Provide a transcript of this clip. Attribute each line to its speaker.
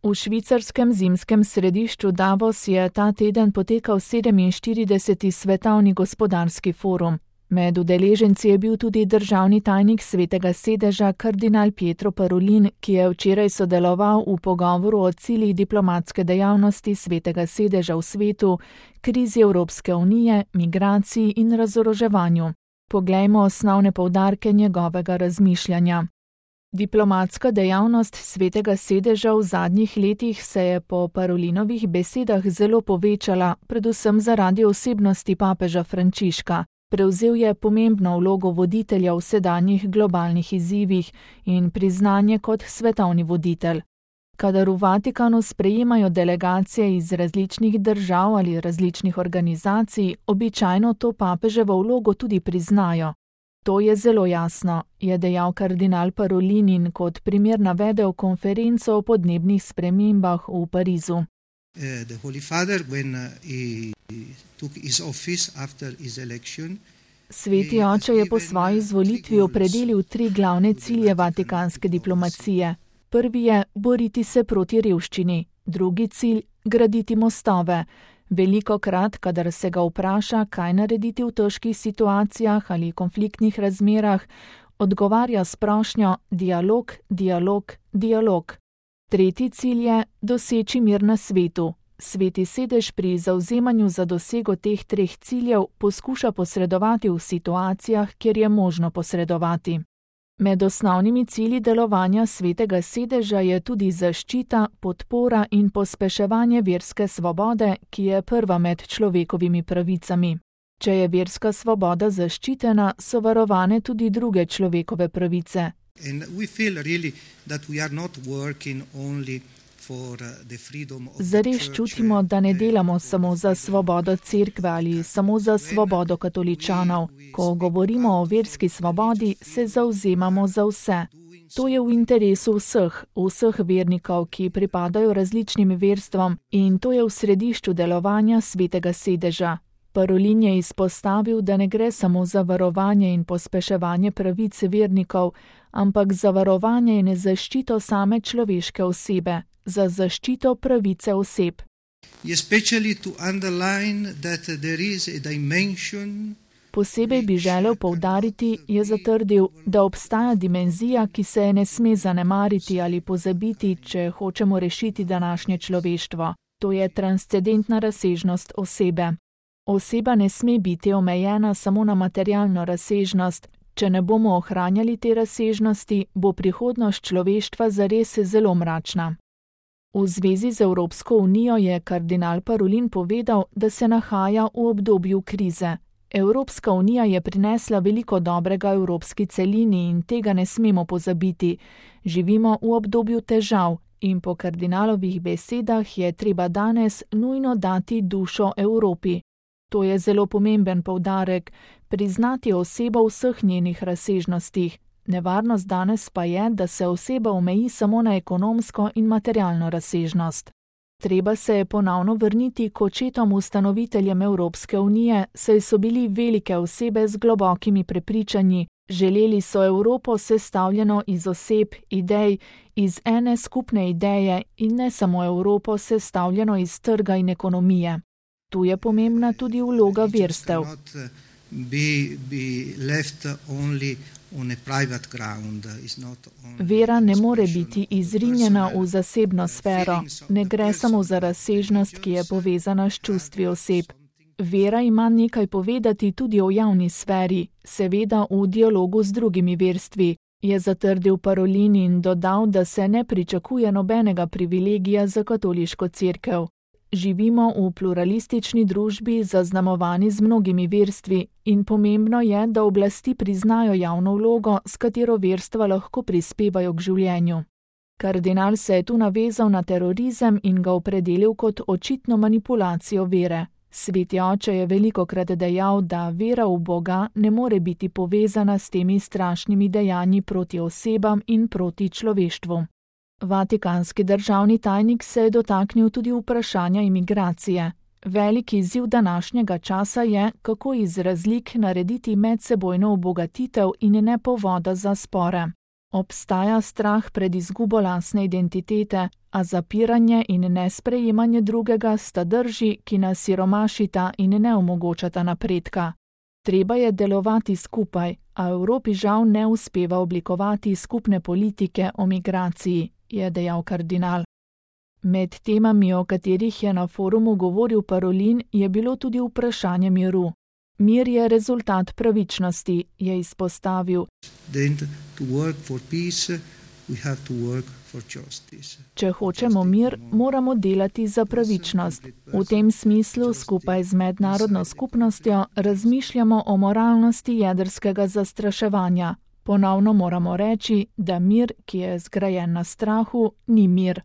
Speaker 1: V švicarskem zimskem središču Davos je ta teden potekal 47. svetovni gospodarski forum. Med udeleženci je bil tudi državni tajnik Svetega sedeža kardinal Pietro Parolin, ki je včeraj sodeloval v pogovoru o ciljih diplomatske dejavnosti Svetega sedeža v svetu, krizi Evropske unije, migraciji in razoroževanju. Poglejmo osnovne poudarke njegovega razmišljanja. Diplomatska dejavnost Svetega sedeža v zadnjih letih se je po Parolinovih besedah zelo povečala, predvsem zaradi osebnosti papeža Frančiška. Prevzel je pomembno vlogo voditelja v sedanjih globalnih izzivih in priznanje kot svetovni voditelj. Kadar v Vatikanu sprejemajo delegacije iz različnih držav ali različnih organizacij, običajno to papeževo vlogo tudi priznajo. To je zelo jasno, je dejal kardinal Parolin in kot primer navedel konferenco o podnebnih spremembah v Parizu.
Speaker 2: The Holy Father, when he took his office after his election,
Speaker 1: Sveti oče je po svoji izvolitvi opredelil 3 glavne cilje vatikanske diplomacije. Prvi je boriti se proti revščini, drugi cilj graditi mostove. Velikokrat, kadar se ga vpraša, kaj narediti v težkih situacijah ali konfliktnih razmerah, odgovarja s prošnjo dialog, dialog, dialog. Tretji cilj je doseči mir na svetu. Sveti sedež pri zavzemanju za dosego teh 3 ciljev poskuša posredovati v situacijah, kjer je možno posredovati. Med osnovnimi cilji delovanja Svetega sedeža je tudi zaščita, podpora in pospeševanje verske svobode, ki je prva med človekovimi pravicami. Če je verska svoboda zaščitena, so varovane tudi druge človekove pravice. Zares čutimo, da ne delamo samo za svobodo cerkve ali samo za svobodo katoličanov. Ko govorimo o verski svobodi, se zavzemamo za vse. To je v interesu vseh vernikov, ki pripadajo različnim verstvom, in to je v središču delovanja Svetega sedeža. Parolin je izpostavil, da ne gre samo za varovanje in pospeševanje pravic vernikov, ampak za varovanje in zaščito same človeške osebe, za zaščito pravice oseb. Posebej bi želel poudariti, je zatrdil, da obstaja dimenzija, ki se je ne sme zanemariti ali pozabiti, če hočemo rešiti današnje človeštvo. To je transcendentna razsežnost osebe. Oseba ne sme biti omejena samo na materialno razsežnost. Če ne bomo ohranjali te razsežnosti, bo prihodnost človeštva zares zelo mračna. V zvezi z Evropsko unijo je kardinal Parolin povedal, da se nahaja v obdobju krize. Evropska unija je prinesla veliko dobrega evropski celini in tega ne smemo pozabiti. Živimo v obdobju težav in po kardinalovih besedah je treba danes nujno dati dušo Evropi. To je zelo pomemben poudarek, priznati osebo v vseh njenih razsežnostih. Nevarnost danes pa je, da se oseba omeji samo na ekonomsko in materialno razsežnost. Treba se je ponovno vrniti k očetom ustanoviteljem Evropske unije, saj so bili velike osebe z globokimi prepričanji. Želeli so Evropo sestavljeno iz oseb, idej, iz ene skupne ideje in ne samo Evropo sestavljeno iz trga in ekonomije. Tu je pomembna tudi vloga verstev. Vera ne more biti izrinjena v zasebno sfero, ne gre samo za razsežnost, ki je povezana s čustvi oseb. Vera ima nekaj povedati tudi o javni sferi, seveda v dialogu z drugimi verstvi, je zatrdil Parolin in dodal, da se ne pričakuje nobenega privilegija za katoliško cerkev. Živimo v pluralistični družbi, zaznamovani z mnogimi verstvi, in pomembno je, da oblasti priznajo javno vlogo, s katero verstva lahko prispevajo k življenju. Kardinal se je tu navezal na terorizem in ga opredelil kot očitno manipulacijo vere. Sveti oče je velikokrat dejal, da vera v Boga ne more biti povezana s temi strašnimi dejanji proti osebam in proti človeštvu. Vatikanski državni tajnik se je dotaknil tudi vprašanja imigracije. Veliki izziv današnjega časa je, kako iz razlik narediti medsebojno obogatitev in ne povoda za spore. Obstaja strah pred izgubo lastne identitete, a zapiranje in nesprejemanje drugega sta drži, ki nas siromašita in ne omogočata napredka. Treba je delovati skupaj, a Evropi žal ne uspeva oblikovati skupne politike o migraciji, je dejal kardinal. Med temami, o katerih je na forumu govoril Parolin, je bilo tudi vprašanje miru. Mir je rezultat pravičnosti, je izpostavil. Če hočemo mir, moramo delati za pravičnost. V tem smislu skupaj z mednarodno skupnostjo razmišljamo o moralnosti jedrskega zastraševanja. Ponovno moramo reči, da mir, ki je zgrajen na strahu, ni mir.